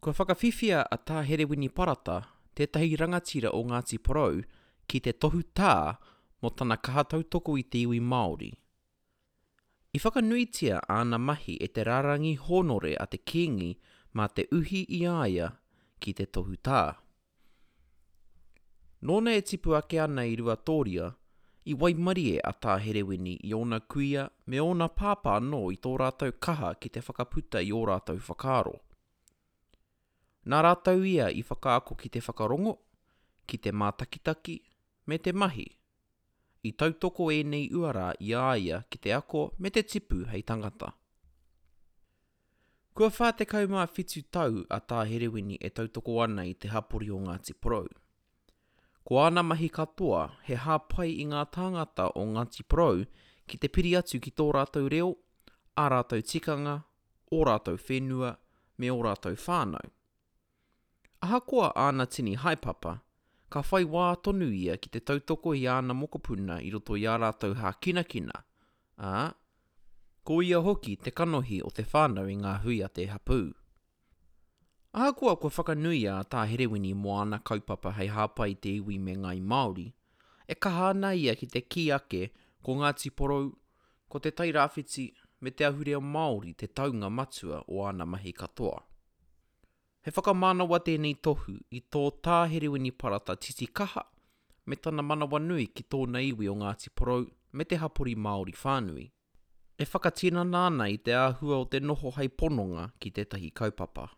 Kua whakawhiwhia a Tā Herewini Parata, tētahi rangatira o Ngāti Porou, ki te tohu tā mō tana kaha tautoko i te iwi Māori. I whakanuitia āna mahi e te rārangi hōnore a te Kīngi mā te uhi i a ia ki te tohu tā. Nōna e tipu ake ana i Ruatōria, i waimarie a Tā Herewini i ōna kuia me ōna pāpā anō i tō rātou kaha ki te whakaputa i ō rātou whakaaro. Nā rātou ia i whakaako ki te whakarongo, ki te mātakitaki, me te mahi. I tautoko ēnei uara i a ia ki te ako me te tipu hei tangata. Kua 47 tau a Tā Herewini e tautoko ana i te hapori o Ngāti Porou. Ko āna mahi katoa he hāpai i ngā tāngata o Ngāti Porou ki te piri atu ki tō rātou reo, ā rātou tikanga, ō rātou whenua, me ō rātou whānau. Ahakoa āna tini haepapa, ka whai wā tonu ia ki te tautoko i āna mokopuna i roto i ā rātou hākinakina, ā, ko ia hoki te kanohi o te whānau i ngā hui a te hapū. Ahakoa kua whakanuia a Tā Herewini mō āna kaupapa hei hāpai i te iwi me ngāi Māori, e kaha ana ia ki te kī ake ko Ngāti Porou, ko Te Tai Rāwhiti me te ahurea Māori te taunga matua o āna mahi katoa. He whakamānawa tēnei tohu i tō Tā Herewini Parata titikaha me tana manawanui ki tōna iwi o Ngāti Porou me te hapori Māori whānui. E whakatinana ana i te āhua o te noho hei pononga ki tētahi kaupapa.